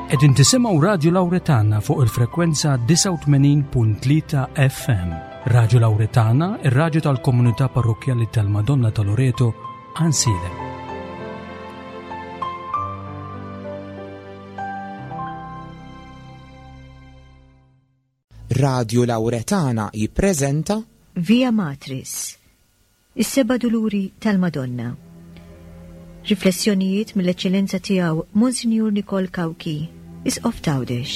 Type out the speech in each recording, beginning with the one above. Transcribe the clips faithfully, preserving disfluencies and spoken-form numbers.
Qegħdin tisimgħu Radju Lawretana fuq il-frekwenza disgħa u tmenin punt tlieta F M. Radju Lawretana, ir-radju tal-komunità parrokkjali tal-Madonna ta' Loreto, Għajnsielem. Radju Lawretana jippreżenta Via Matris, is-seba' duluri tal-Madonna. Riflessjonijiet mill-Eċċellenza tiegħu Monsinjur Nikol Cauchi, Isqof t'Għawdex.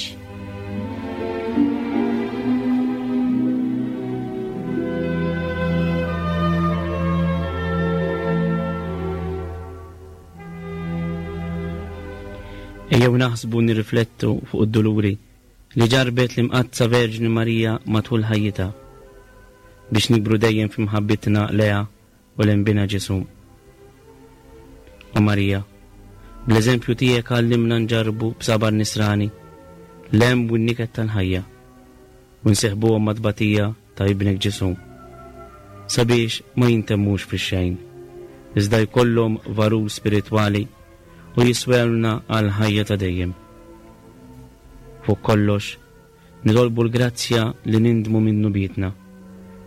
Ejjew naħsbu nirriflettu fuq id-duluri li ġarbet l-Imqaddsa Verġni Marija matul ħajjitha, biex nikbru dejjem f'imħabbitna leha u lejn Binha Ġesu. O Marija, bl-eżempju tiegħek għallimna nġarbu b'sabar nisrani l-hemm u n-niket tal-ħajja u nseħbuhom mat-tbatija ta' ibnek Ġesu, sabiex ma jintemmux fix-xejn, iżda jkollhom valur spiritwali u jiswewlna għal ħajja ta' dejjem. Fuq kollox, nitolbu l-grazzja li nindmu minn dnubietna,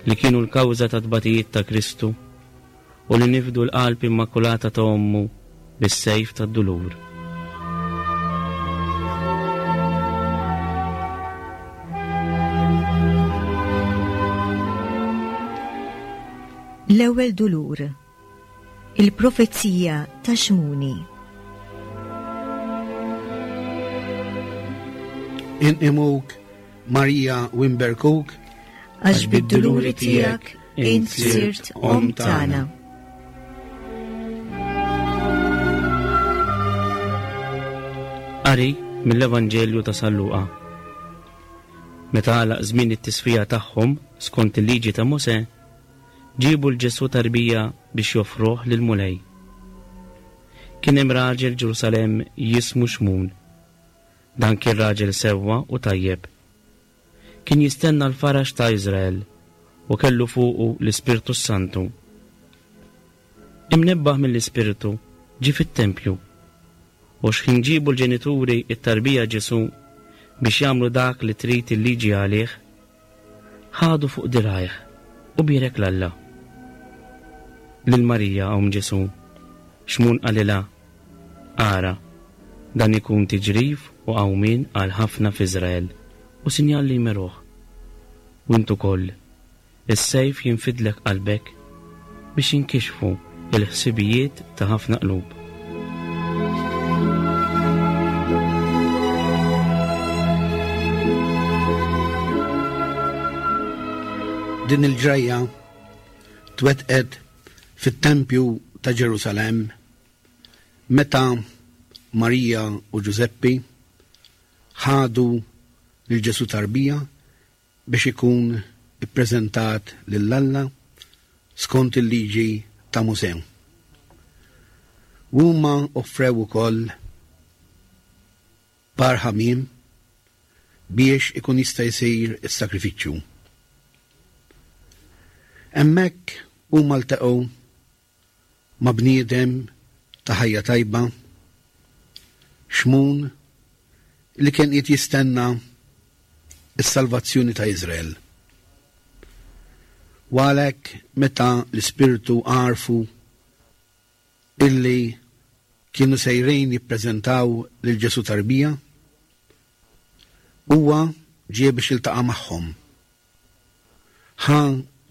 li kienu l-kawża ta' tbatijiet ta' Kristu, u li nifdu l-qalb immakulata ta' ommu bis-sejf tad-dulur. L-ewwel dulur, il-profezija ta' Xmuni. Inqimuk Marija u nberkuk, għax bid-duluri tiegħek int sirt om tagħna. Qari mill-Evanġelju ta' San Luqa. Meta għalaq żmien it-tisfija tagħhom skont il-liġi ta' Mosè, ġiebu l Ġesù tarbija biex joffruh lil Mulej. Kien hemm raġel Ġerusalemm jismu Xmun. Dan kien raġel sewwa u tajjeb. Kien jistenna l-faraġ ta' Iżrael u kellu fuqu l-Ispirtu Santu. Imnebbaħ mill-Ispirtu ġie fit-tempju. U xħin ġibu l-ġenituri it-tarbija Ġesù biex jagħmlu dak li trid il-liġi għalih, ħadu fuq dirgħajh u bierek 'l Alla. Lil Marija omm Ġesù, Xmun qalilha, Ara, dan ikun tiġrif u qawmien għal ħafna f'Iżrael u sinjal li jmeruh. U int ukoll, is-sejf jinfidlek qalbek biex jinkixfu il-ħsibijiet ta' ħafna qlub. Din il-ġrajja twettqet fit-tempju ta' Ġerusalemm meta Marija u Ġużeppi ħadu lil Ġesù tarbija biex ikun ippreżentat lil Alla skont il-liġi ta' Mosè. Huma offrew ukoll par ħamiem biex ikun jista' jsir is-sakrifiċċju. Hemmhekk huma ltaqgħu ma' bniedem ta' ħajja tajba, Xmun, li kien qed jistenna s-salvazzjoni ta' Iżrael. U għalhekk meta l-Ispirtu għarfu illi kienu sejrin jippreżentaw lil Ġesù tarbija, huwa ġie biex jiltaqa' magħhom. Ħa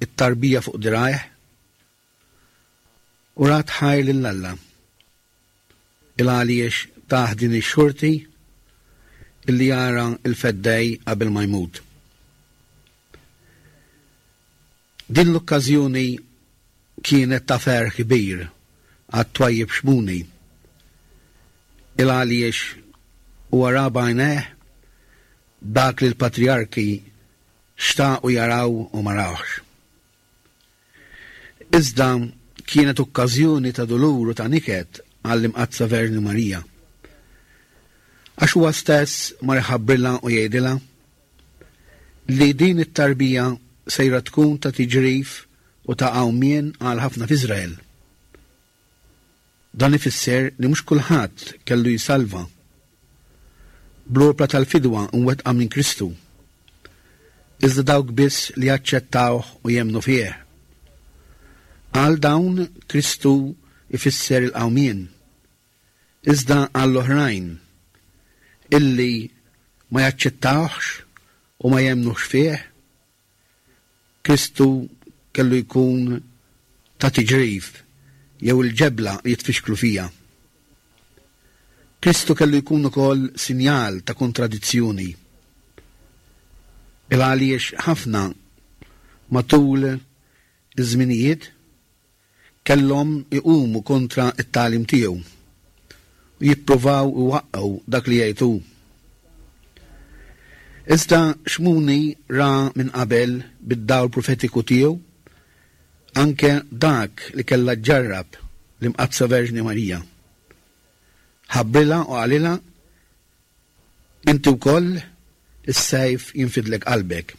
it-tarbija fuq dirgħajh u rat ħajr lil Alla. Il għaliex tah din ix-xorti illi jara l-feddej qabel ma jmut. Din l-okkażjoni kienet ta' ferħ kbir għat-twajjeb Xmuni. Il għaliex huwa ra b'għajnejh dak li l-patriarki xtaqu jaraw u ma rawx. Iżda kienet okkażjoni ta' dulur u ta' niket għall-Imqaddsa Verġni Marija. Għax huwa stess mar iħabbrilha u jgħidilha li din it-tarbija sejra tkun ta' tiġrif u ta' qawmien għal ħafna f'Iżrael. Dan ifisser li mhux kulħadd kellu jsalva. bl-opra tal-fidwa mwettqa minn Kristu, iżda dawk biss li jaċċettawh u jemmnu fih. Għal dawn Kristu ifisser il-qawmien, iżda għall-oħrajn illi ma jaċċettawhx u ma jemmnux fih, Kristu kellu jkun ta' tiġrif jew il-ġebla li jitfixklu fija. Kristu kellu jkun ukoll sinjal ta' kontradizzjoni. Il għaliex ħafna matul iż-żminijiet kellhom iqumu kontra t-tagħlim tiegħu u jippruvaw iwaqqgħu dak li jgħid hu. Iżda Xmuni ra minn qabel bid-dawl profetiku tiegħu anke dak li kellha ġġarrab l-Imqaddsa Verġni Marija. Ħabbrilha u qalilha: inti wkoll is-sejf jinfidlek qalbek.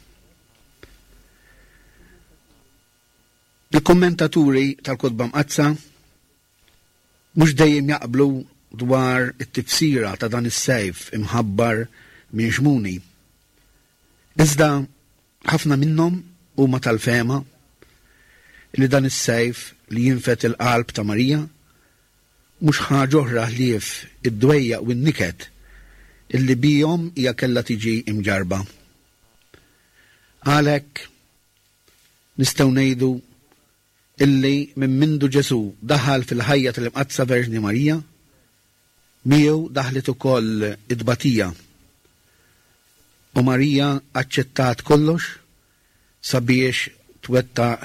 Il-kommentaturi tal-Kotba Mqaddsa mhux dejjem jaqblu dwar it-tifsira ta' dan is-sejf imħabbar minn Xmuni. Iżda ħafna minnhom huma tal-fehma li dan is-sejf li jinfed il-qalb ta' Marija mhux ħaġa oħra ħlief id-dwejjaq u n-niket illi bihom hija kellha tiġi imġarba. Għalhekk nistgħu ngħidu illi minn mindu Ġesù daħal fil-ħajja tal-Imqaddsa Verġni Marija, miegħu daħlet ukoll it-tbatija. U Marija aċċettat kollox sabiex twettaq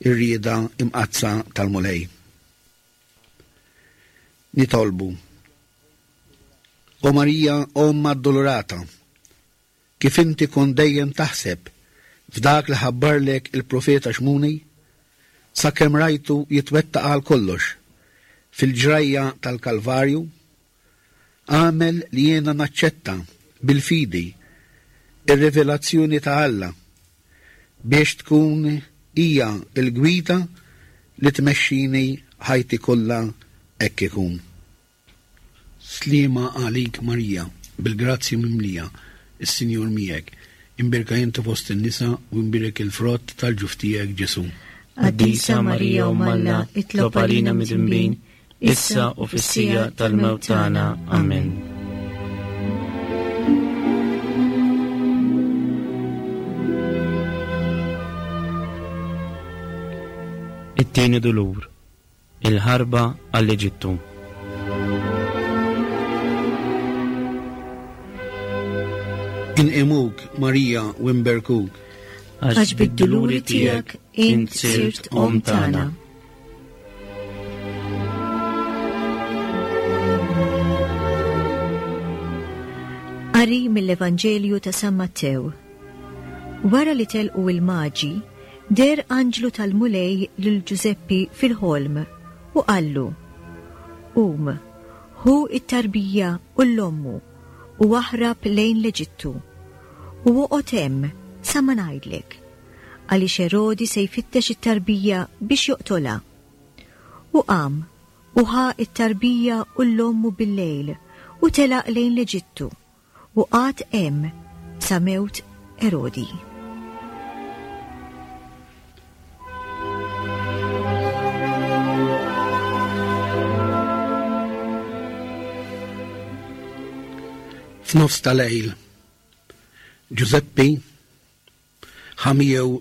ir-rieda imqaddsa tal-Mulej. Nitolbu. O Marija, Omm Addolorata, kif inti kont dejjem taħseb f'dak li ħabbarlek il-profeta Xmuni, sakemm rajtu jitwettaq għal kollox fil-ġrajja tal-Kalvarju, għamel li jiena naċċetta bil-fidi ir-rivelazzjoni ta' Alla biex tkun hija l-gwida li tmexxini ħajti kollha hekk ikun. Sliema għalik Marija, bil-grazzja mimlija, is-Sinjur miegħek, imbierka inti fost in-nisa u imbierek il-frott tal-ġuf tiegħek Ġesù. Qaddisa Marija Omm Alla, itlob għalina midinbin, issa u fis-siegħa tal-mewt tagħna. Amen. It-tieni dulur, il-ħarba għall-Eġittu. Inqimuk Marija u nberkuk, Għax bid-duluri tiegħek int sirt omm tagħna. Qari mill-Evanġelju ta' San Mattew. Wara li telqu il-Maġi, deher anġlu tal-Mulej lil Ġużeppi fil-ħolm u qallu: Qum, ħu it-tarbija u l-ommu u aħrab lejn l-Eġittu u oqgħod hemm sa ma ngħidlek, għaliex Erodi se jfittex it-tarbija biex joqtolha. U qam u ħa it-tarbija u l-ommu bil-lejl u telaq lejn l-Eġittu u qagħad hemm sa mewt Erodi. F'nofs tal-lejl, Ġużeppi ħa miegħu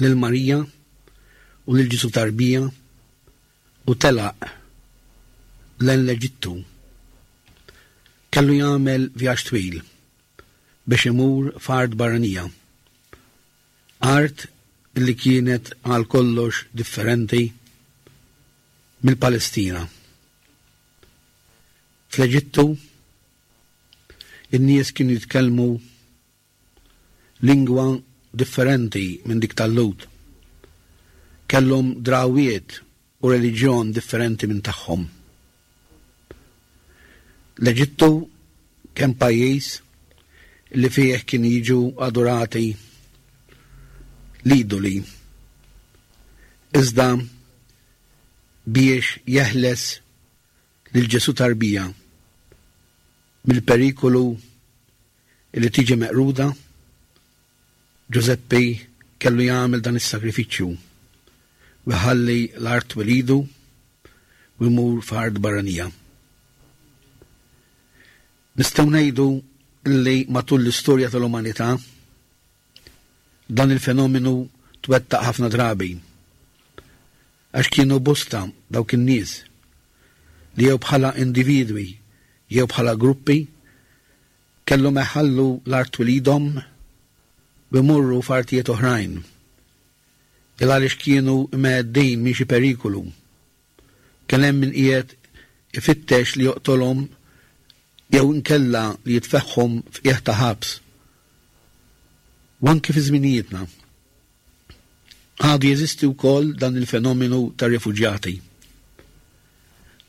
lil Marija u lil Ġesù tarbija u telaq lejn l-Eġittu. Kellu jagħmel vjaġġ twil biex imur f'art barranija, art li kienet għal kollox differenti mill-Palestina. Fl-Eġittu in-nies kienu jitkellmu lingwa differenti minn dik tal-Lhud. Kellhom drawiet u reliġjon differenti minn tagħhom. L-Eġittu kien pajjiż li fih kien jiġu adorati l-idoli. Iżda biex jeħles lil Ġesù tarbija mill-perikolu li tiġi meqruda, Ġużeppi kellu jagħmel dan is-sagrifiċċju u jħalli l-art twelidu u jmur f'art barranija. Nistgħu ngħidu li matul l-istorja tal-umanità dan il-fenomenu twettaq ħafna drabi, għax kienu bosta dawk in-nies li jew bħala individwi jew bħala gruppi kellhom iħallu l-art twelidhom u jmorru f'artijiet oħrajn, il għaliex kienu mheddin minn xi perikolu. Kien hemm min qiegħed ifittex li joqtolhom jew inkella li jitfeħħhom f'qiegħ ta' ħabs. U anke fi żminijietna għadu jeżisti wkoll dan il-fenomenu ta' rifuġjati.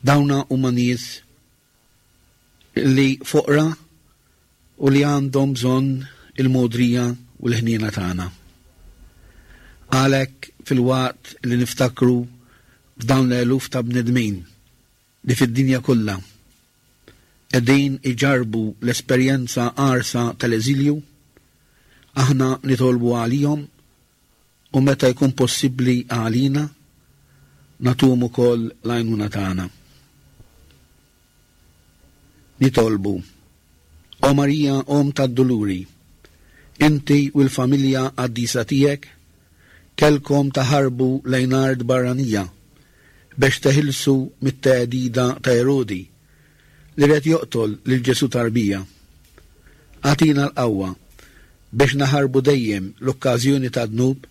Dawna huma nies li foqra u li għandhom bżonn il-modrija u l-ħniena tagħna. Għalhekk fil-waqt li niftakru f'dawn l-eluf ta' bnedmin li fid-dinja kollha qegħdin iġarbu l-esperjenza qarsa tal-eżilju, aħna nitolbu għalihom u meta jkun possibbli għalina nagħtuhom ukoll l-għajnuna tagħna. Nitolbu: O Marija, Omm tad-Duluri, inti u l-familja qaddisa tiegħek kellkom taħarbu lejn art barranija biex teħilsu mit-tgħedida ta' Erodi li red joqtol lil Ġesu tarbija. Agħtina l-qawwa biex naħarbu dejjem l-okkażjoni ta' dnub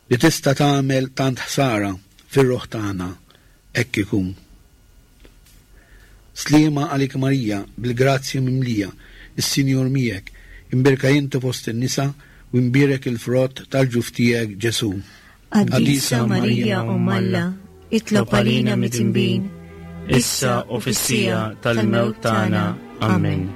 li tista' tagħmel tant ħsara fir-ruħ tagħna. Hekk ikun. Sliema għalik Marija, bil-grazzja mimlija, is-Sinjur miegħek, imbierka inti fost in-nisa u imbierek il-frott tal-ġuf tiegħek Ġesu. Qaddisa Marija, Omm Alla, itlob għalina midinbin, issa u fis-siegħa tal-mewt tagħna. Amen.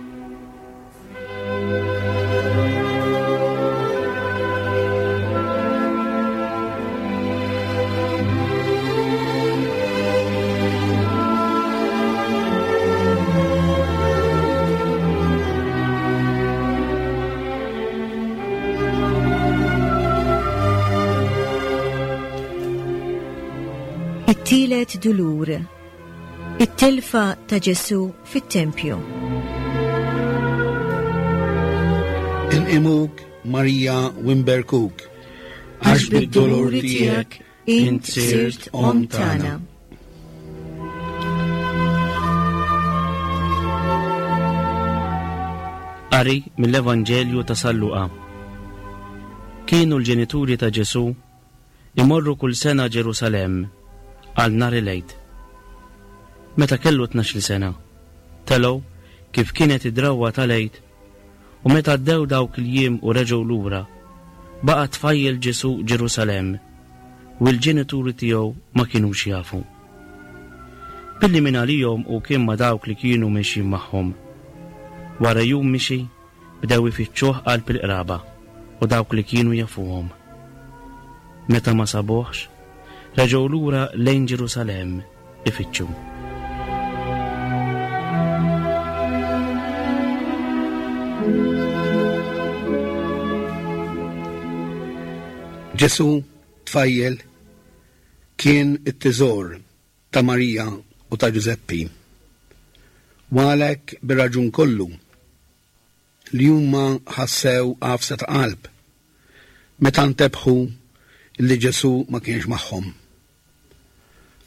It-tielet dulur, it-telfa ta' Ġesu fit-tempju. Inqimuk Marija u nberkuk, għax bid-duluri tiegħek int sirt omm tagħna. Qari mill-Evanġelju ta' San Luqa. Kienu l-ġenituri ta' Ġesu imorru kull sena Ġerusalemm għal nhar il-Għid. Meta kellu tnax-il sena, telgħu kif kienet id-drawwa tal-Għid, u meta għaddew dawk il-jiem u reġgħu lura, baqa' tfajjel Ġesu Ġerusalemm, u l-ġenituri tiegħu ma kinux jafu. Billi minn għalihom u kien ma' dawk li kienu mexjin magħhom. Wara jum mixi, bdew ifittxuh qalb il-qraba u dawk li kienu jafuhom. Meta ma sabuhx, reġgħu lura lejn Ġerusalemm ifittxu. Ġesu tfajjel kien it-teżor ta' Marija u ta' Ġużeppi. U għalhekk bir-raġun kollu li huma ħassew għafsa ta' qalb meta ntebħu li Ġesu ma kienx magħhom.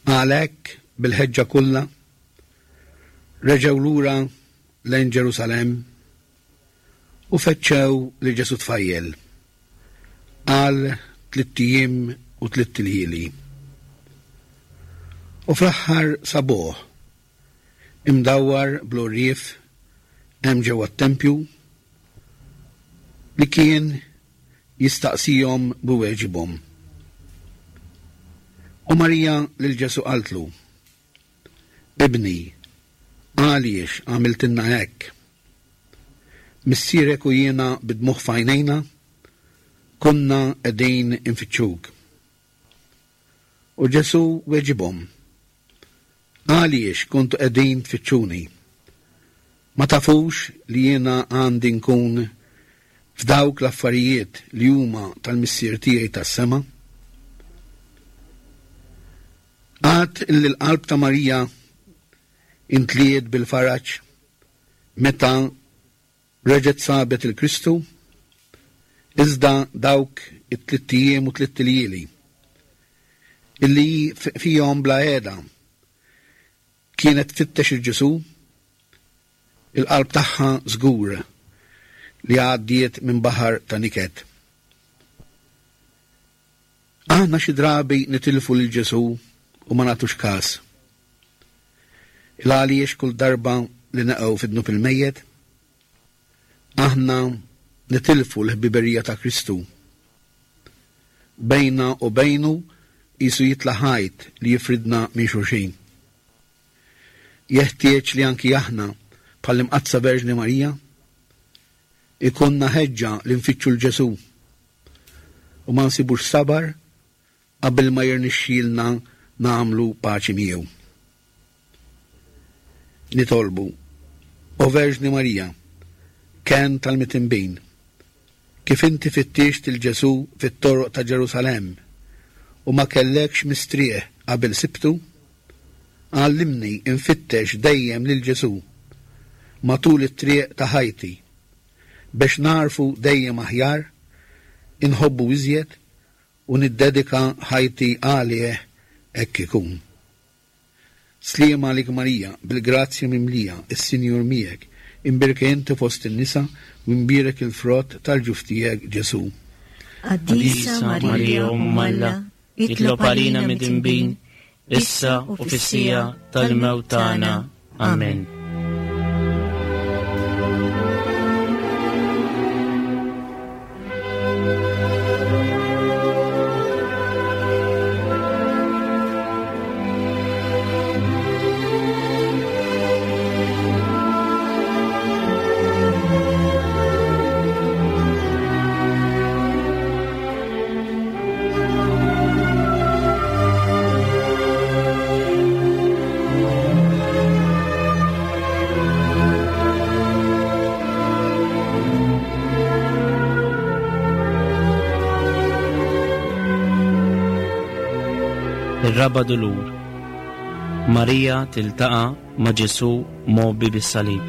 Għalhekk bil-ħeġġa kollha reġgħu lura lejn Ġerusalemm u fettxew li Ġesu tfajjel għal tlitt ijiem u tlitt iljieli. U fl-aħħar sabuh imdawwar bl-għorrief hemm ġewwa t-tempju li kien jistaqsihom b'weġibhom. U Marija lil Ġesu qaltlu: Ibni, għaliex għamiltilna hekk? Missierek u jiena bidmuħ f'għajnejna konna qegħdin infittxuk. U Ġesu weġibhom: Għaliex kontu qegħdin tfittxuni? Ma tafux li jiena għandi nkun f'dawk l-affarijiet li huma tal-Missier tiegħi tas-sema? Għad illi l-qalb ta' Marija intliet bil-faraġ meta reġgħet sabet il-Kristu, iżda dawk it-tlitt ijiem u tlitt iljieli illi fihom bla qiegħda kienet tfittex il-Ġesù, il-qalb tagħha żgur li għaddiet minn baħar ta' niket. Aħna xi drabi nitilfu lil Ġesù u ma nagħtux każ. Il għaliex kull darba li naqgħu fid-dnub il-mejjet, aħna nitilfu l-ħbiberija ta' Kristu. Bejna u bejnu qisu jitla' ħajt li jifridna minn xulxin. Jeħtieġ li anki aħna bħall-Imqaddsa Verġni Marija ikonna ħeġġa li nfittxu l-Ġesù u ma nsibux sabar qabel ma jirnexxielna nagħmlu paċi miegħu. Nitolbu, O Verġni Marija, ken tal-mitinbin, kif inti fittixt il-Ġesù fit-toroq ta' Ġerusalemm u ma kellekx mistrieħ qabel sibtu, għallimni nfittex dejjem lil Ġesù matul it-triq ta' ħajti biex narfu dejjem aħjar, inħobbu iżjed u niddedika ħajti għalih hekk ikun. Sliema għalik Marija, bil-grazzja mimlija, is-Sinjur miegħek, imbierka inti fost in-nisa u imbierek il-frott tal-ġuf tiegħek Ġesù. Qaddisa Marija, Omm Alla, itlob għalina midinbin, issa u fis-siegħa tal-mewt tagħna. Amen. Ir-raba' dulur. Marija tiltaqa' ma' Ġesù mgħobbi bis-salib.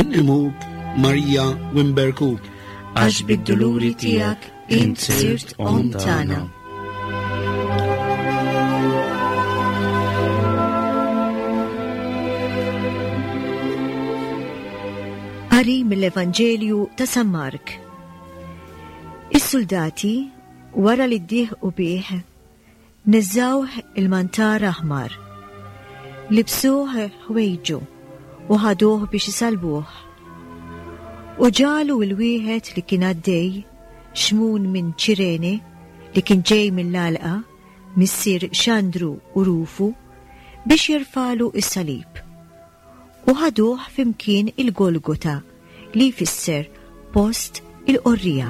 Inqimuk Marija u nberkuk, għax bid-duluri tiegħek int sirt omm tagħna. Qari mill-Evanġelju ta' San Mark. Is-soldati, wara li ddieħqu bih, neżżawh il-mantar aħmar, libsuh ħwejġu u ħaduh biex isalbuh. U ġalu il-wieħed li kien għaddej, Xmun minn Ċirene, li kien ġej mill-għalqa, missier Xandru u Rufu, biex jirfalu is-salib. U ħaduh fimkien il-Golgota, li jfisser post il-qorrija.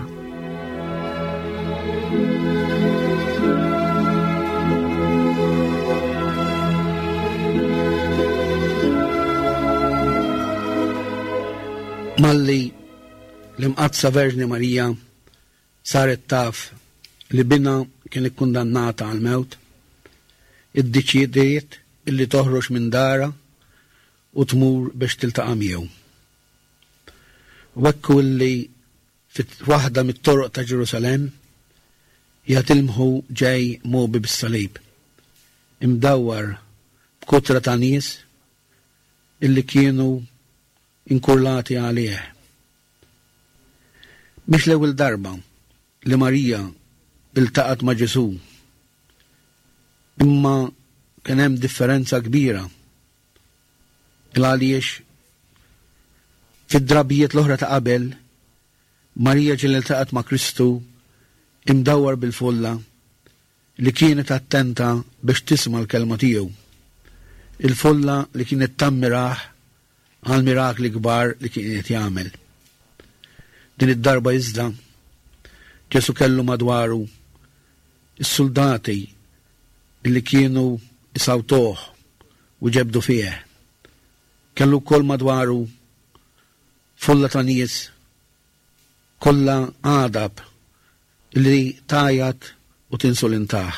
Malli l-Imqaddsa Verġni Marija saret taf li binha kien ikkundannata għal-mewt, iddeċidiet illi toħroġ minn dara u tmur biex tiltaqa' miegħu. U hekk illi fit waħda mit-toroq ta' Ġerusalemm jatilmħu ġej mobi bis-salib, imdawwar b'kutra ta' nies illi kienu inkurlati għalih. Mhix l-ewwel darba li Marija iltaqgħet ma' Ġesù, imma kien hemm differenza kbira il għaliex fid-drabijiet l-oħra ta' qabel Marija ġieli iltaqgħet ma' Kristu imdawwar bil-folla li kienet attenta biex tisma' l-kelma tiegħu. Il-folla li kienet tammirah għal mirakli kbar li kien qed jagħmel. Din id-darba iżda Ġesù kellu madwaru is-soldati li kienu isawtuh u ġebdu fih. Kellu wkoll madwaru folla ta' nies kollha għadab li tajat u tinsulintah.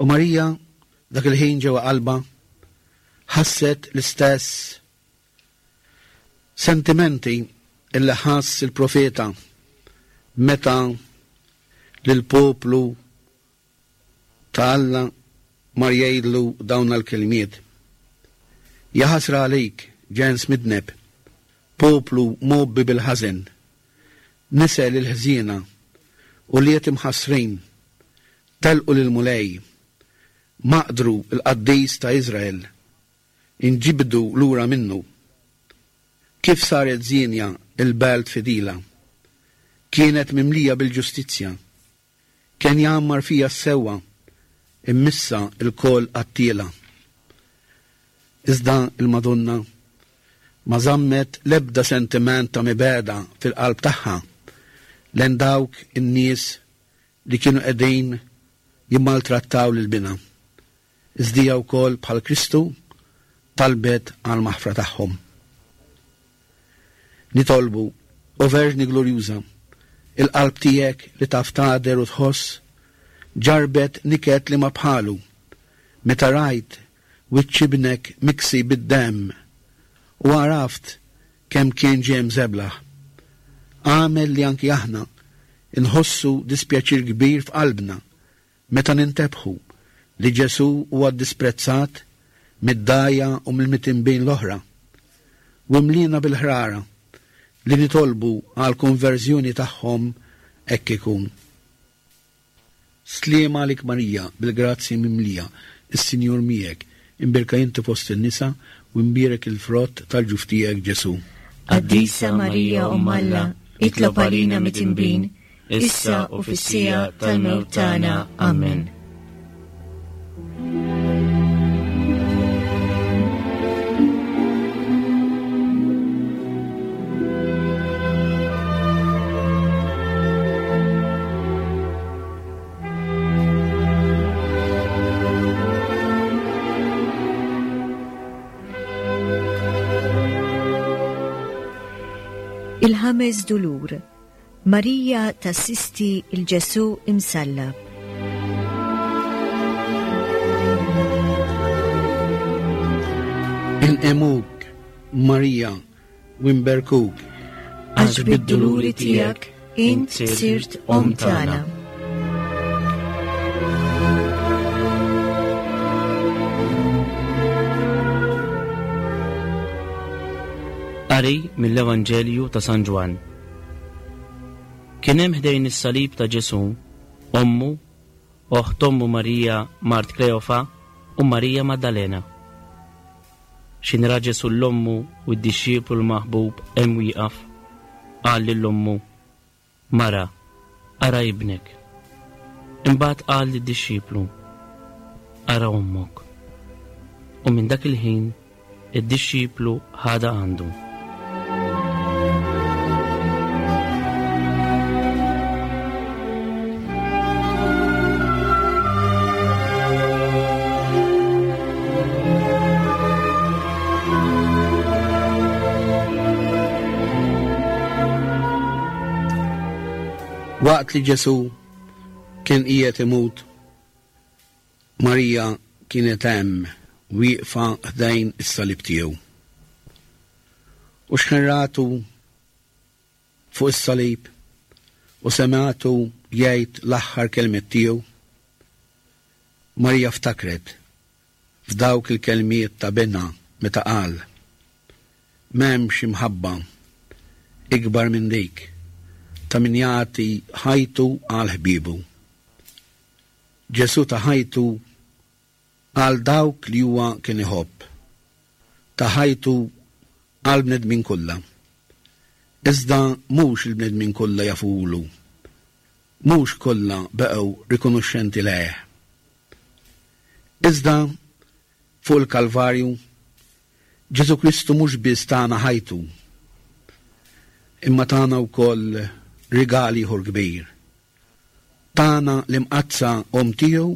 U Marija dak il-ħin ġewwa qalbha ħasset l-istess sentimenti illi ħass il-profeta meta lill-poplu ta' Alla mar jgħidlu dawn l-kelmiet. Jaħasra għalik, ġens midneb, poplu mgħobbi bil-ħażen, nisel il-ħżiena u liet imħassrin, telqu lill-Mulej, maqdru l-qaddis ta' Iżrael, inġibdu lura minnu. Kif saret żienja il-belt fidila, kienet mimlija bil-ġustizzja, kien jgħammar fija s-sewwa, immissa il-kol qattiela. Iżda il-Madonna ma żammet l-ebda sentiment ta' mibegħda fil-qalb tagħha lejn dawk in-nies li kienu qegħdin jimmaltrattaw lil binha. Iżda hija wkoll bħal Kristu talbet għal maħfra tagħhom. Nitolbu, o Verġni Glorjuża, il-qalb tiegħek li taf tagħder u tħoss ġarbet niket li ma bħalu meta rajt wiċċ ibnek miksi bid-demm u għaraft kemm kien ġie mżeblaħ. Għamel li anki aħna inħossu dispjaċir kbir f'qalbna meta nintebħu li Ġesù huwa disprezzat mid-dgħajja u mill-mitinbin l-oħra, u mlina bil-ħrara li nitolbu għal konverżjoni tagħhom hekk ikun. Sliema għalik Marija, bil-grazzja mimlija, is-Sinjur miegħek, imbierka inti fost in-nisa u imbierek il-frott tal-ġuf tiegħek Ġesù. Qaddisa Marija Omm Alla, itlob għalina mitinbin, issa u fis-siegħa tal-mewt tagħna. Amen. Il-ħames dulur, Marija tassisti il-Ġesù imsallab. Inqimuk, Marija, u nberkuk, Għax bid-duluri tiegħek int sirt omm tagħna. Qari mill-Evanġelju ta' San Ġwann. Kien hemm ħdejn is-salib ta' Ġesù, ommu, oħt ommu Marija mart Kleofa u Marija Maddalena. X'in ra Ġesù l-ommu u d-dixxiplu l-maħbub hemm wieqaf, qal lil ommu, Mara, ara ibnek. Imbagħad qal lid-dixxiplu, Ara ommok. U minn dak il-ħin id-dixxiplu ħadha għandu. Waqt li Ġesù kien qiegħed imut, Marija kienet hemm wieqfa ħdejn is-salib tiegħu. U x'ħin ratu fuq is-salib u semgħatu jgħid l-aħħar kelmiet tiegħu, Marija ftakret f'dawk il-kelmiet ta' binha meta qal, M'hemmx imħabba ikbar minn dik ta' min jagħti ħajtu għal ħbiebu. Ġesù ta' ħajtu għal dawk li huwa kien iħobb, ta' ħajtu għal bnedmin kollha. Iżda mhux il-bnedmin kollha jafulu, mhux kollha baqgħu rikonoxxenti lejh. Iżda fuq il-Kalvarju Ġesù Kristu mhux biss tana ħajtu, imma tana wkoll rigal ieħor kbir. Tana l-imqaddsa omm tiegħu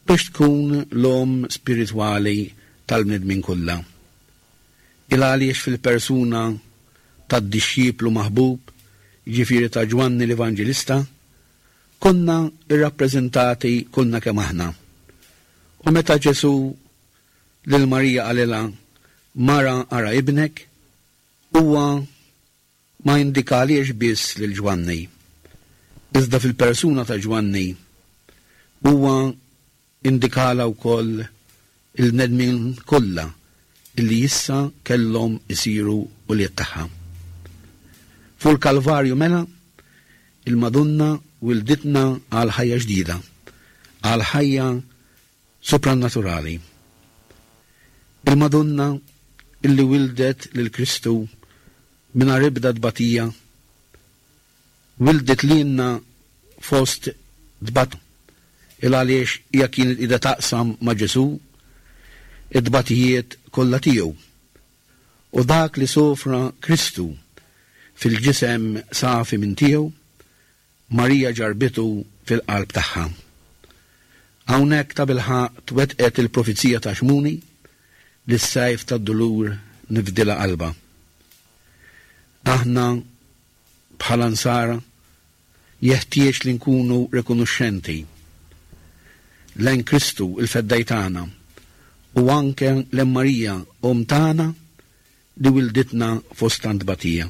biex tkun l-omm spiritwali tal-bnedmin kollha. Il għaliex fil-persuna tad-dixxiplu maħbub, jiġifieri ta' Ġwanni l-Evanġelista, konna irrappreżentati kollna kemm aħna. U meta Ġesù lil Marija qalilha, Mara ara ibnek, huwa ma indikaliex biss lil Ġwanni. Iżda fil-persuna ta' Ġwanni huwa indikala wkoll il-bnedmin kollha illi issa kellhom isiru ulied tagħha. Fuq il-Kalvarju mela, il-Madonna wilditna għal ħajja ġdida, għal ħajja soprannaturali. Il-Madonna illi wildet lil Kristu mingħajr ebda tbatija, wildet lilna fost tbat, il għaliex hija kienet qiegħda taqsam ma' Ġesù id-tbatijiet kollha tiegħu. U dak li sofra Kristu fil-ġisem safi minn tiegħu, Marija ġarbitu fil-qalb tagħha. Hawnhekk tabilħaqq twettqet il-profezija ta' Xmuni li s-sajf tad-dulur nifdilha qalba. Aħna bħala nsara jeħtieġ li nkunu rikonoxxenti lejn Kristu il-feddej tagħna u anke lejn Marija omm tagħna li wilditna fost tant tbatija.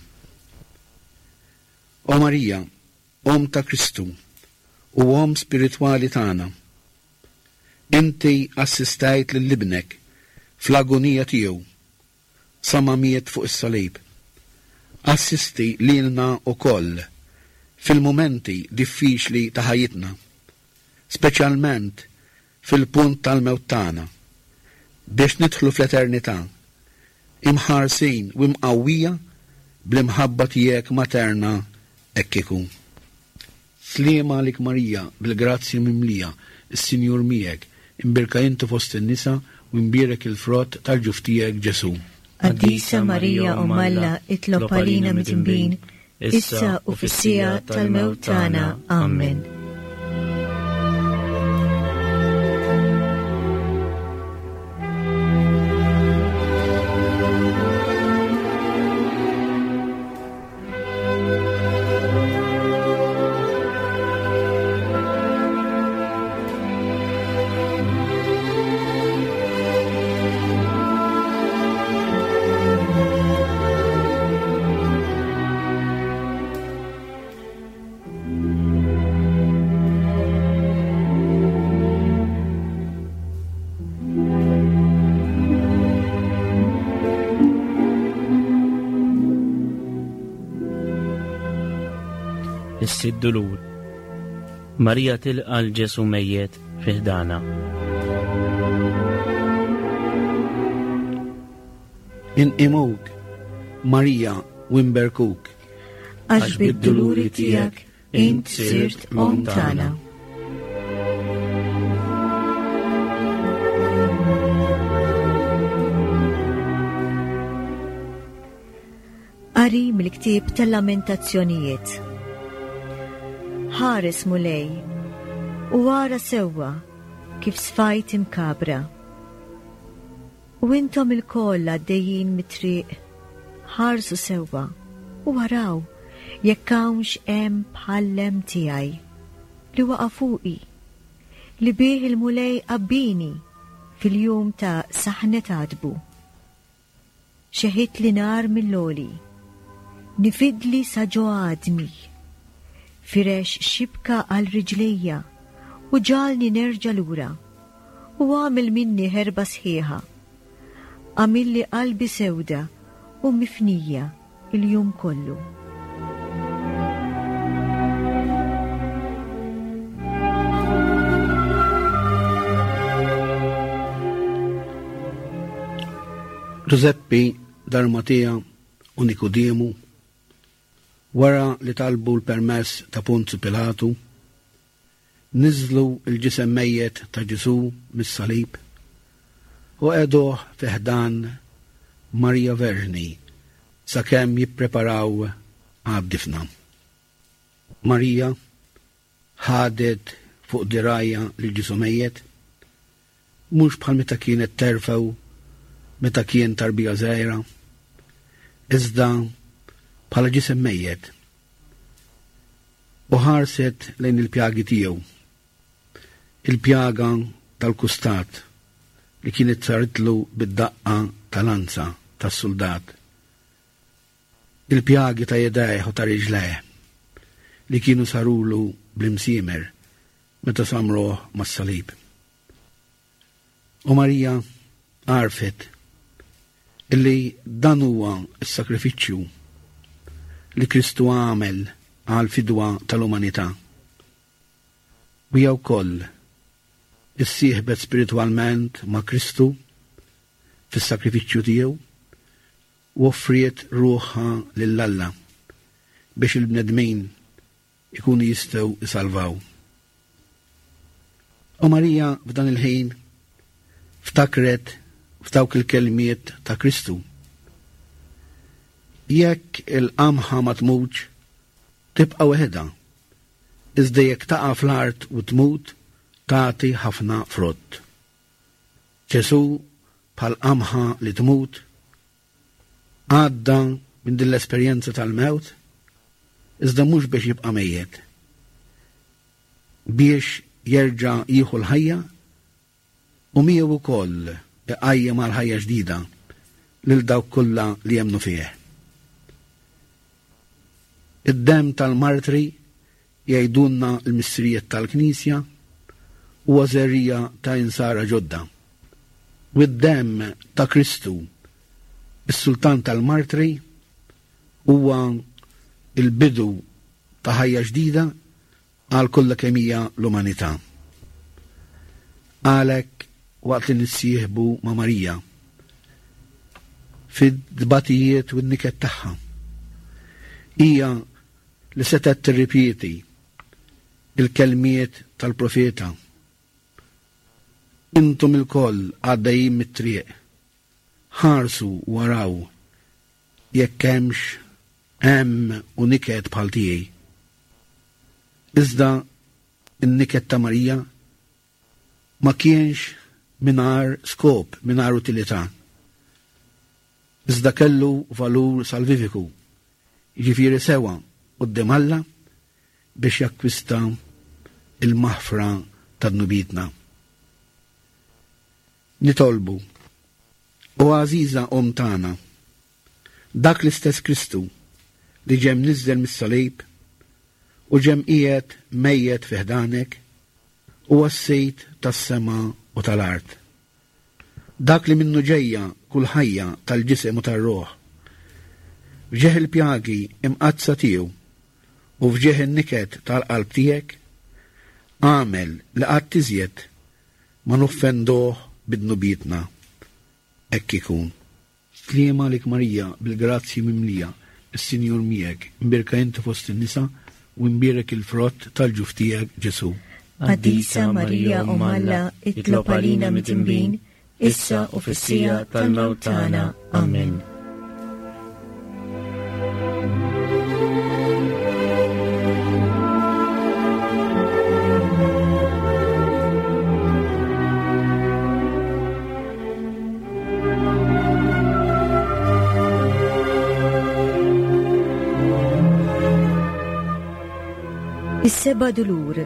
O Marija, omm ta' Kristu u omm spiritwali tagħna, inti assistajt lil ibnek fl-agonija tiegħu sa ma miet fuq is-salib. Assisti lilna wkoll fil-mumenti diffiċli ta' ħajjitna, speċjalment fil-punt tal-mewt tagħna, biex nidħlu fl-eternità, imħarsin u imqawwija bl-imħabba tiegħek materna hekk ikun. Sliema għalik Marija, bil-grazzja mimlija, is-Sinjur miegħek, imbierka inti fost in-nisa u imbierek il-frott tal-ġuf tiegħek Ġesù. Qaddisa Marija Omm Alla, itlob għalina midinbin, issa u fis-siegħa tal-mewt tagħna. Amen. Is-sitt dulur. Marija tilqa' l Ġesù mejjet fi ħdana. Inqimuk, Marija, u nberkuk. Għax bid-duluri tiegħek int sirt omm tagħna. Qari mill-ktieb tal-Lamentazzjonijiet. Ħares Mulej, u ara sewwa kif sfajt imkabra. U intom ilkoll għaddejjin mit-triq, ħarsu sewwa u araw jekk hawnx hemm bħallem tiegħi li waqa' fuqi, li bih il-Mulej qabbini fil-jum ta' saħnet għadbu. Xeħit li nar mill-għoli, nifidli sa ġo għadmi, firex xibka għal riġlejja u ġalni nerġa' lura u għamel minni ħerba sħiħa. Għamilli qalbi sewda u mifnija il-jum kollu. Giuseppe d'Arimatea u Nikodemu, wara li talbu l-permess ta' Ponzju Pilatu, niżlu l-ġisem mejjet ta' Ġesù mis-salib u qegħduh fi ħdan Marija Verġni sakemm jippreparaw għad-difna. Marija ħadet fuq dirajja lil Ġesù mejjet Mhux bħal meta kienet terfgħu meta kien tarbija żgħira, iżda bħala ġisem mejjet. U ħarset lejn il-pjagi tiegħu, il-pjaga tal-kustat li kienet saritlu bid-daqqa tal-lanza tas-suldat, il-pjagi ta' jedajh u ta' riġlejh li kienu sarulu bl-imsiemer meta samruh mas-salib. U Marija għarfet illi dan huwa s-sakrifiċċju li Kristu għamel għal fidwa tal-umanità. U hija wkoll issieħbet spiritwalment ma' Kristu fis-sakrifiċċju tiegħu u offriet ruħha lil Alla biex il-bnedmin ikunu jistgħu isalvaw. U Marija f'dan il-ħin ftakret f'dawk il-kelmiet ta' Kristu. Jekk il-qamħa ma tmutx, tibqa' weħedha, iżda jekk taqa' fl-art u tmut, tagħti ħafna frott. Ġesù bħal qamħa li tmut għadda minn din l-esperjenza tal-mewt, iżda mhux biex jibqa' mejjet, biex jerġa' jieħu l-ħajja u miegħu wkoll iqajjem għal ħajja ġdida lil dawk kollha li jemmnu fih. Id-demm tal-martri, jgħidulna l-missirijiet tal-Knisja, huwa żerriegħa ta' insara ġodda. U d-demm ta' Kristu, is-sultan tal-martri, huwa il-bidu ta' ħajja ġdida għal kollha kemm hija l-umanità. Għalhekk waqt li nissieħbu ma' Marija fid-dbatijiet u n-niket tagħha, hija li setgħet tirripeti il-kelmiet tal-profeta. Intom ilkoll għaddejjin mit-triq, ħarsu waraw jekk hemmx hemm u niket bħal tiegħi. Iżda n-niket ta' Marija ma kienx mingħajr skop, mingħajr utilità. Iżda kellu valur salvifiku, jiġifieri sewa quddiem Alla biex jakkwista il-maħfra ta' dnubietna. Nitolbu, o għażiża Omm tagħna, dak l-istess Kristu li ġem niżel mis-salib u ġem qiegħed mejjet fi ħdanek, huwa s-Sejd tas-sema u tal-art. Dak li minnu ġejja kull ħajja tal-ġisem u tar-ruħ. F'ġieħ il-pjagi imqaddsa tiegħu u f'ġieħ in-niket tal-qalb tiegħek, għamel li qatt iżjed ma noffenduh bidnubietna. Hekk ikun. Sliema għalik Marija, bil-grazzji mimlija, is-Sinjur miegħek, imbierka inti fost in-nisa u imbierek il-frott tal-ġuf tiegħek Ġesù. Qaddisa Marija Omm Alla, itlob għalina midinbin, issa u fis-siegħa tal-mewt tagħna. Amen. Is-seba' dulur.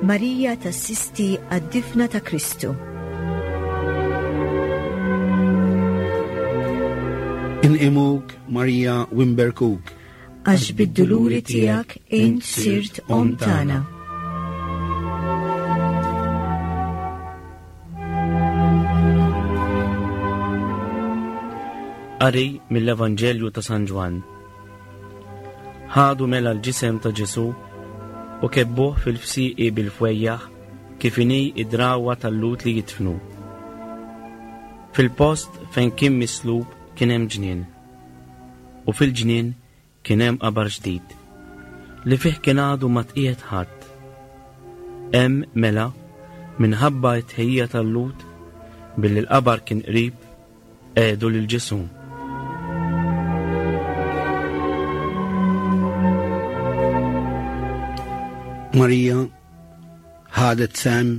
Marija tassisti għad-difna ta' Kristu. Inqimuk Marija u nberkuk, għax bid-duluri tiegħek int sirt omm tagħna. Qari mill-Evanġelju ta' San Ġwann. Ħadu mela l-ġisem ta' Ġesù u kebbuh fil-fsiqi bil-fwejjaħ kif inhi id-drawa tal-Lhud li jidfnu. Fil-post fejn kien mislub kien hemm ġnien, u fil-ġnien kien hemm qabar ġdid li fih kien għadu ma tqiegħed ħadd. Hemm mela, minħabba t-tħejjija tal-Lhud, billi l-qabar kien qrib, qiegħdu lil Ġesù. Marija ħadet sem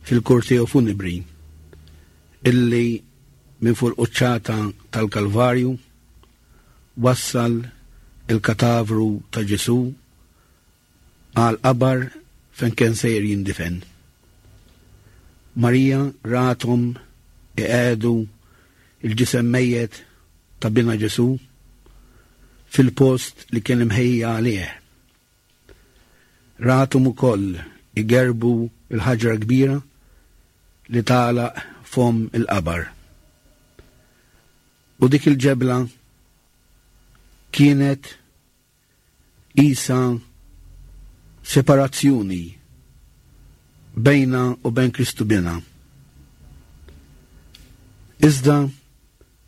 fil-korteo funebri illi minn fuq il-quċċata tal-Kalvarju wassal il-katavru ta' Ġesù għal qabar fejn kien sejjer jindifen. Marija rathom iqiegħdu il-ġisem mejjet ta' bina Ġesù fil-post li kien imħejja għalih. Rathom ukoll igerbu il-ħaġra kbira li tagħlaq fom il-qabar. U dik il-ġebla kienet isa separazzjoni bejna u bejn Kristu bina. Iżda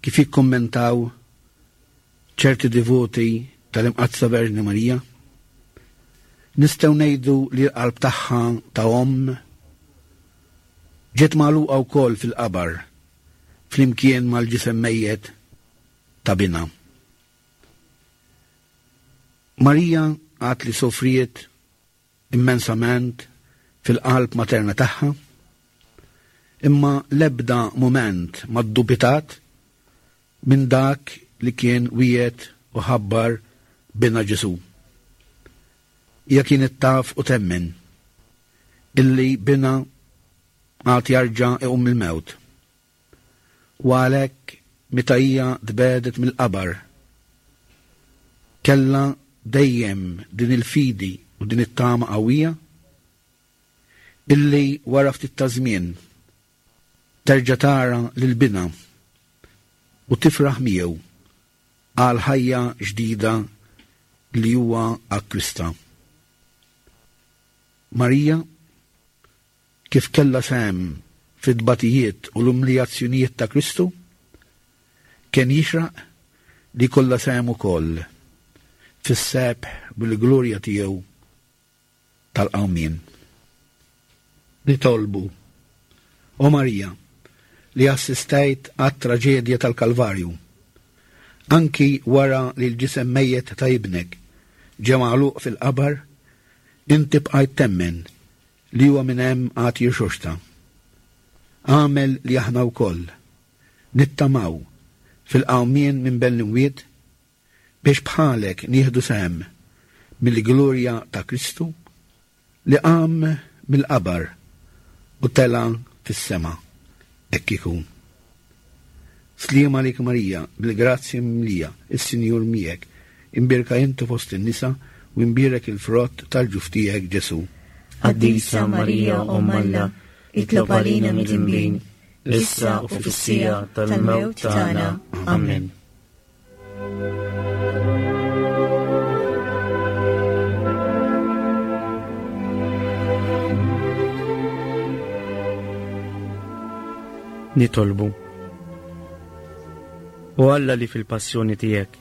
kif jikkommentaw ċerti devoti tal-Imqaddsa Verġni Marija, nistgħu ngħidu li l-qalb tagħha ta' omm ġiet magħluqa wkoll fil-qabar flimkien mal-ġisem mejjet ta' bina. Marija għad li sofriet immensament fil-qalb materna tagħha, imma l-ebda mument ma ddubitat minn dak li kien wiegħed u ħabbar bina Ġesù. Hija kienet taf u temmen illi bina għad jarġa' iqum mill-mewt. U għalhekk meta hija tbedet mill-qabar, kellha dejjem din il-fidi u din it-tama qawwija illi wara ftit ta' żmien terġa' tara lil bina u tifraħ miegħu għal ħajja ġdida li huwa akkwista. Marija kif kellha sehem fit-tbatijiet u l-umiljazzjonijiet ta' Kristu, kien jixraq li kollha sehem ukoll fis-sebħ bil-glorja tiegħu tal-qawmien. Nitolbu, o Marija, li assistejt għat-traġedja tal-Kalvarju, anki wara li l-ġisem mejjet ta' ibnek ġie magħluq fil-qabar, inti bqajt temmen li huwa minn hemm għad jirxoxta. Għamel li aħna wkoll nittamaw fil-qawmien minn bejn l-imwiet biex bħalek nieħdu sehem mill-glorja ta' Kristu li qam mill-qabar u tela' fis-sema. Hekk ikun. Sliem għalik Marija, bil-grazzja mimlija, is-Sinjur miegħek, imbierka inti fost in-nisa u imbierek il-frott tal-ġuf tiegħek Ġesù. Qaddisa Marija, Omm Alla, itlob għalina midinbin, issa u fis-siegħa tal-mewt tagħna. Amen. Nitolbu. O Alla li fil-passjoni tiegħek,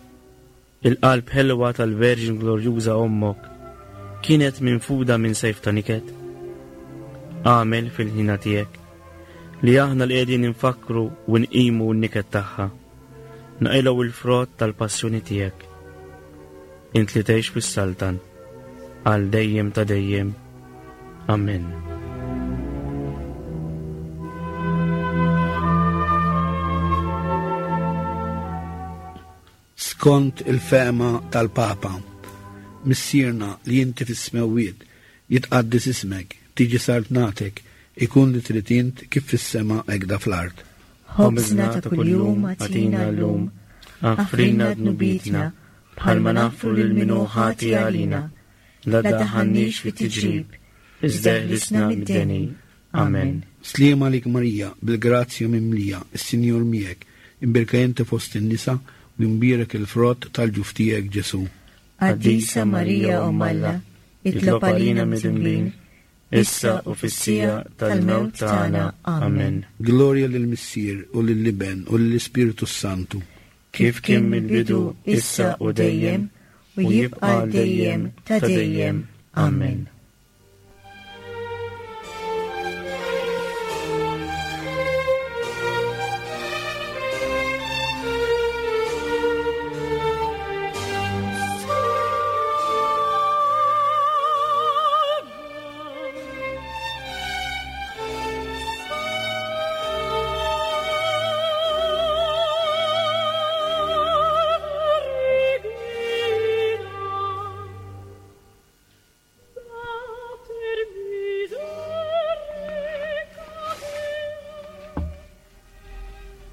il-qalb ħelwa tal-Verġin Glorjuża Ommok kienet minfuda minn sejf ta' niket. Għamel fil-ħina tiegħek li aħna li qegħdin infakru u nqimu n-niket tagħha, naqilgħu il-frott tal-passjoni tiegħek. Int li tgħix fis-saltan għal dejjem ta' dejjem. Amen. Skont il-fehma tal-Papa, Missierna li inti fis-smewwiet, jitqaddes ismek, tiġi saltnatek, ikun li trid int kif fis-sema hekk fl-art. Ħobżna ta' kuljum agħtina llum, aħfrilna dnubietna bħalma naħfru lil min hu ħati għalina, la daħħalniex fit-tiġrib, iżda eħlisna mid-deni. Amen. Sliem għalik Marija, bil-grazzja mimlija, is-Sinjur miegħek, imbierka inti fost in-nisa u imbierek il-frott tal-ġuf tiegħek Ġesù. Qaddisa Marija, Omm Alla, itlob għalina midinbin, issa u fis-siegħa tal-mewt tagħna. Amen. Glorja lill-Missier u lill-Iben u lill-Ispirtu Santu. Kif kien mill-bidu, issa u dejjem, u jibqa' dejjem ta' dejjem. Amen.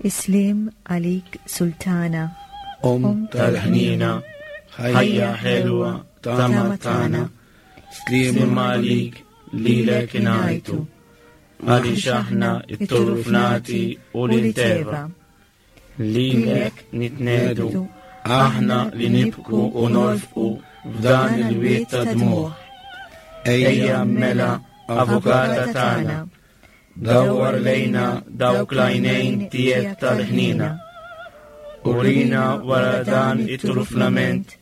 Is-sliem għalik Sultana, Om tal-ħnina, ħajja ħelwa, tama tagħna, Sliem sliem għalik lilek ingħajtu, għaliex aħna it-turufnati u l-inteva. Lilek nitnedu, aħna li nibku u nolfqu f'dan il-wied ta' dmugħ. Ejja mela, avukata tagħna, dawwar lejna dawk l-għajnejn tiegħek tal-ħnina. Urina wara dan it-turufnament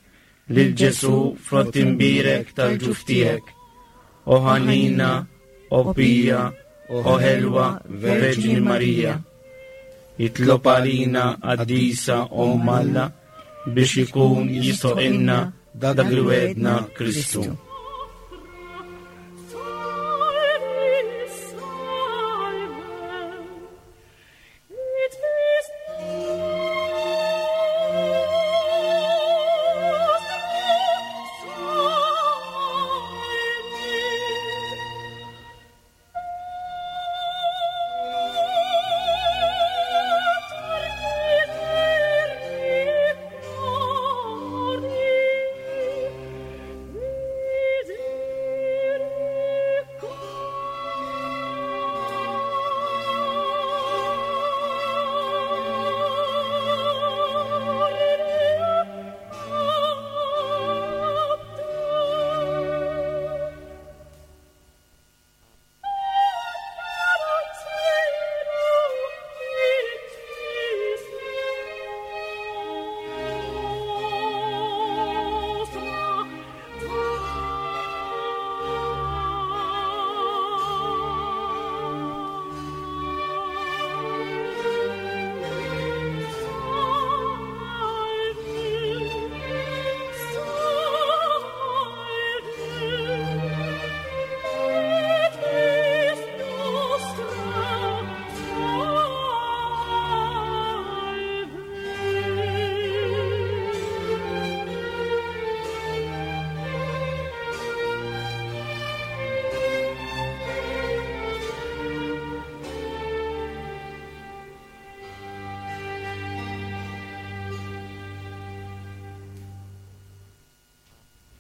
lil Ġesu frott imbierek tal-ġuf tiegħek. O ħanina, o pija, o ħelwa Verġni Marija. Itlob għalina qaddisa Omm Alla biex ikun jistħoqqilna dak li wegħedna Kristu. Salve, salve, et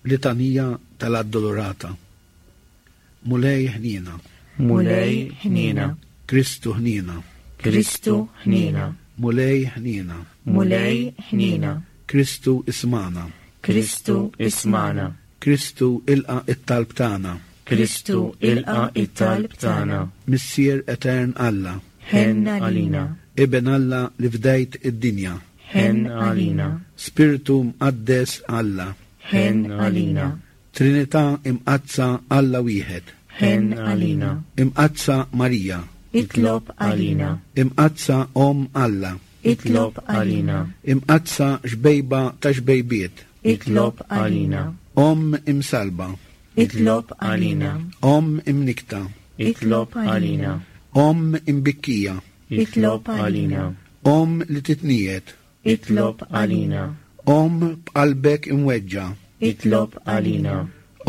Litanija tal-Addolorata. Mulej ħnina, Mulej ħnina, Kristu ħnina, Kristu ħnina, Mulej ħnina, Mulej ħnina, Kristu ismana, Kristu ismana, Kristu ilqa it-talb tagħna, Kristu ilqa it-talb tagħna, Missier Etern Alla, ħenn għalina, Iben Alla li fdejt id-dinja, ħenn għalina, Spiritu Mqaddes Alla, ħenn għalina, Trinità Imqaddsa Alla wieħed, ħenn għalina, Imqaddsa Marija, Itlob għalina, Imqaddsa Om Alla, itlob għalina, Imqaddsa xbejba ta' xbejbiet, itlob għalina, Om imsalba, itlob għalina, Om imnikta, itlob għalina, Om imbikkija, itlob għalina, Om li titniet, itlob għalina, Om b'qalbek imweġġa, itlob għalina,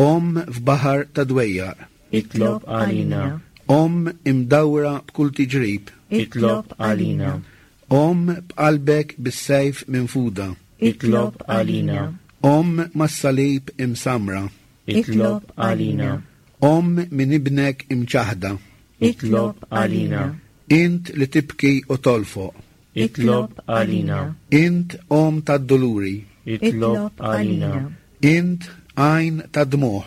Om f'baħar ta' dwejjaq, itlob għalina, Om imdawra b'kull tiġrib, itlob għalina, Om b'qalbek bis-sejf minfuda, itlob għalina, Om mas-salib imsamra, itlob għalina, Om minn ibnek imċaħda, itlob għalina, int li tibki u tolfoq, itlob għalina, int om tad-doluri, itlob għalina, int għajn tad-dmuħ,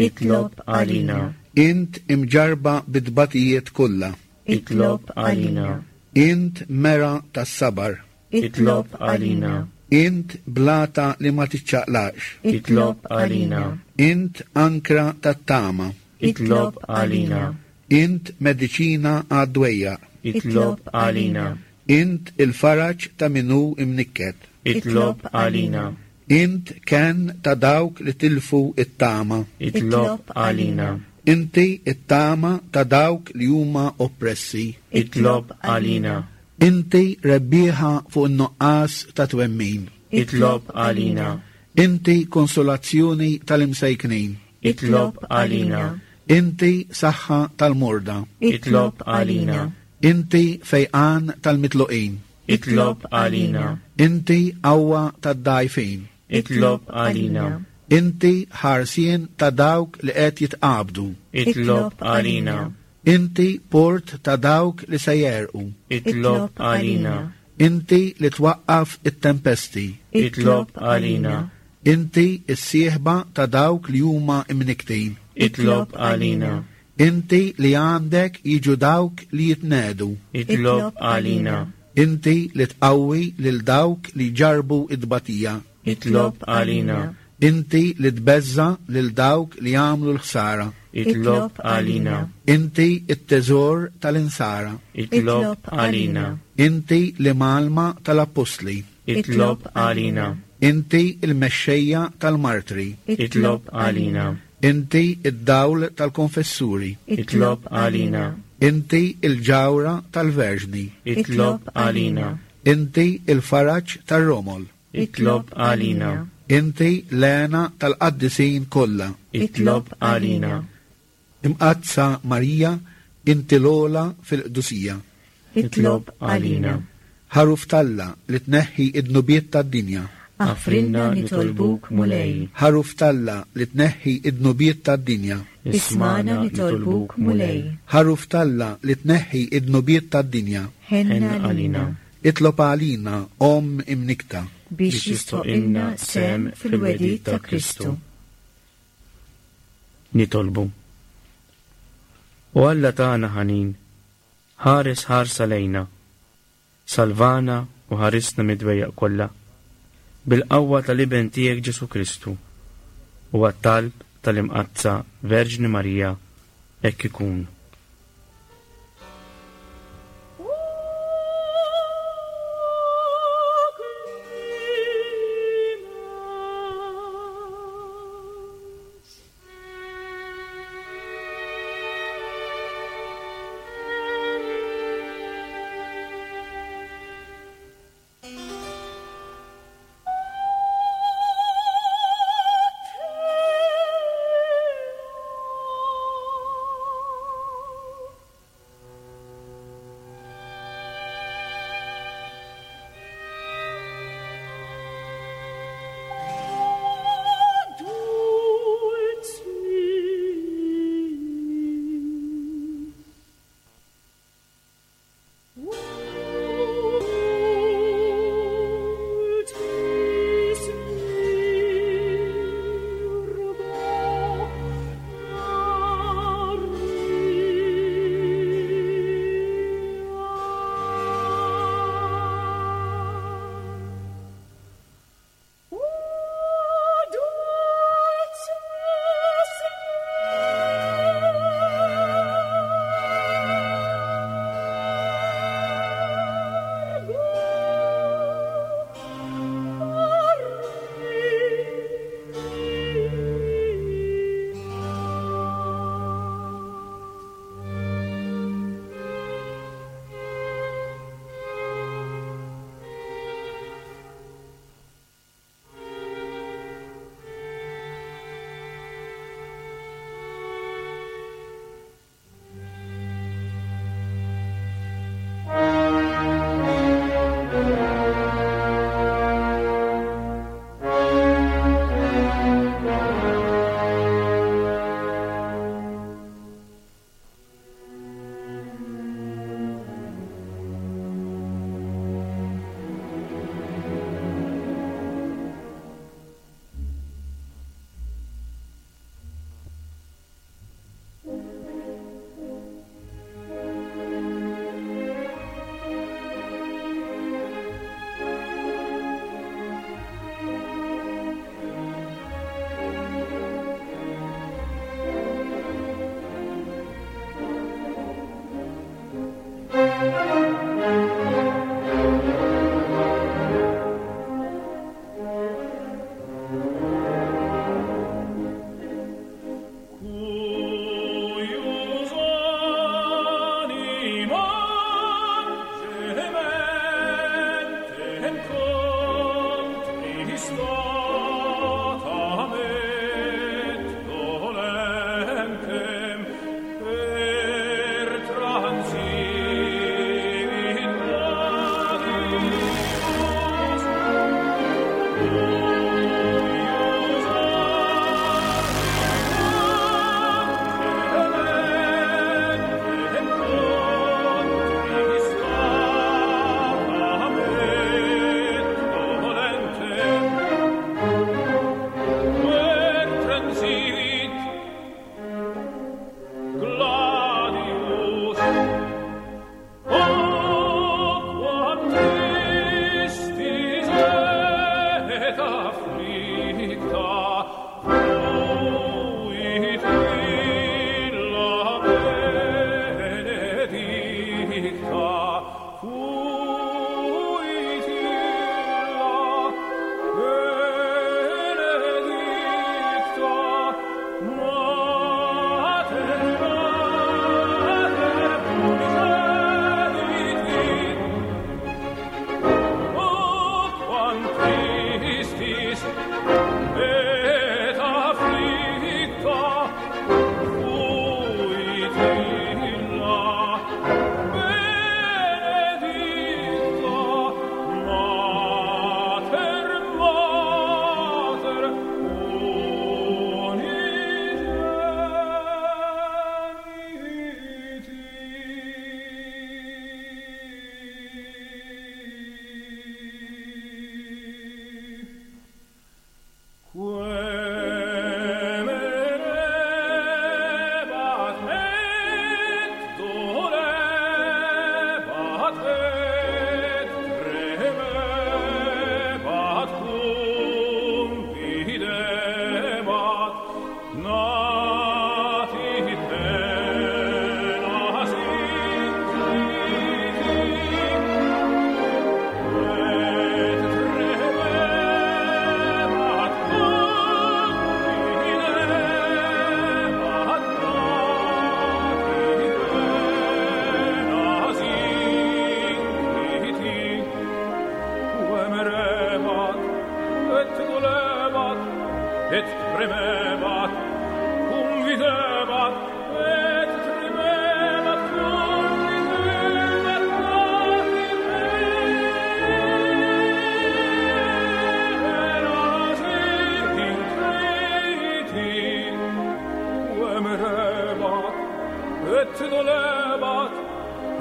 itlob għalina, int imġarba bid-batijiet kollha, itlob għalina, int mera tas-sabar, itlob għalina, int blata li ma tiċċaqlax, itlob għalina, int ankra tat-tama, itlob għalina, int mediċina għad-dwejjaq, itlob għalina, int il-faraġ ta' minu imnikket, itlob għalina, int ken ta' dawk li tilfu it-tama, itlob għalina, inti it-tama ta' dawk li huma oppressi, itlob għalina, inti rebbieħa fuq in-nuqqas ta' twemmin, itlob għalina, inti konsolazzjoni tal-imsejknin, itlob għalina, inti saħħa tal-morda, itlob għalina, Inti fejqan tal-mitluqin. Itlob għalina. Inti qawwa tad-dgħajfin. Itlob għalina. Inti ħarsien ta' dawk li qed jitqabdu. Itlob għalina. Inti port ta' dawk li se jerqu. Itlob għalina. Inti li twaqqaf it-tempesti. Itlob għalina. Inti s-sieħba ta' dawk li huma imniktin. Itlob għalina. Inti li għandek jiġu dawk li jitnedu. Itlob għalina. Inti li tqawwi lil dawk li ġarbu id-batija. Itlob għalina. Inti li tbeżza lil dawk li jagħmlu l-ħsara. Itlob għalina. Inti it-teżor tal-insara. Itlob għalina. Inti l-imgħallma tal-appostli. Itlob għalina. Inti il-mexxejja tal-martri. Itlob għalina. Inti id-dawl tal-konfessuri. Itlob għalina. Inti il-ġawra tal-verġni. Itlob għalina. Inti il-faraġ tar-romol. Itlob għalina. Inti l-għena tal-qaddisin kollha. Itlob għalina. Imqaddsa Marija, inti l-ogħla fil-qdusija. Itlob għalina. Ħaruf t'Alla li tneħħi id-dnubiet tad-dinja. Aħfrilna nitolbuk Mulej. Ħaruf t'Alla li tneħħi id-dnubiet tad-dinja. Ismagħna nitolbuk Mulej. Ħaruf t'Alla li tneħħi id-dnubiet tad-dinja. Ħenna għalina. Itlob għalina, Omm imnikta. Biex jistħoqqilna sehem fil-wegħdiet ta' Kristu. Nitolbu. O Alla tagħna ħanin, ħares ħarsa lejna, salvana u ħarisna mid-dwejjaq kollha, bil-qawwa tal-Iben tiegħek Ġesu Kristu, u għat-talb tal-Imqaddsa Verġni Marija, hekk ikun. Oh.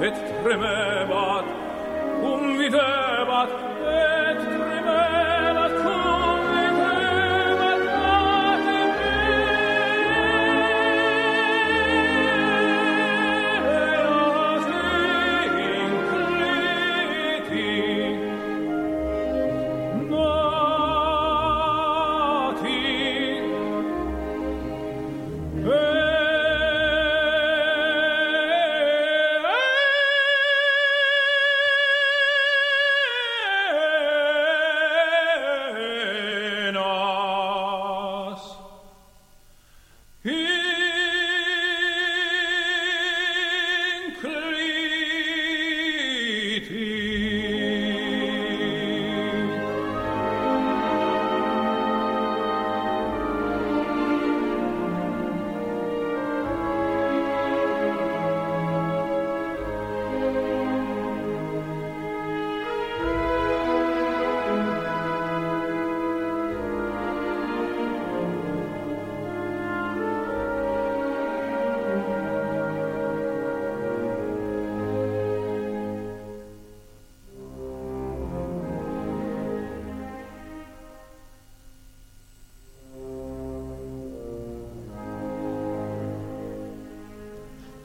et tremebat, cum videbat, et tremebat, cum videbat, ad incliti nati. Enas incliti.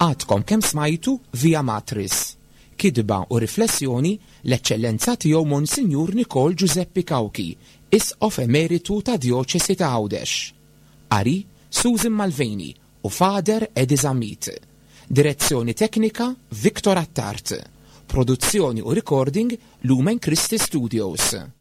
Għadkom kemm smajtu Via Matris. Kidba u riflessjoni l-Eċċellenza tiegħu Monsinjur Nikol Giuseppe Cauchi, Isqof Emeritu ta' Djoċesi ta' Għawdex. Qari Susan Malveni u Father Eddie Zammit. Direzzjoni teknika Victor Attart. Produzzjoni u recording Lumen Christi Studios.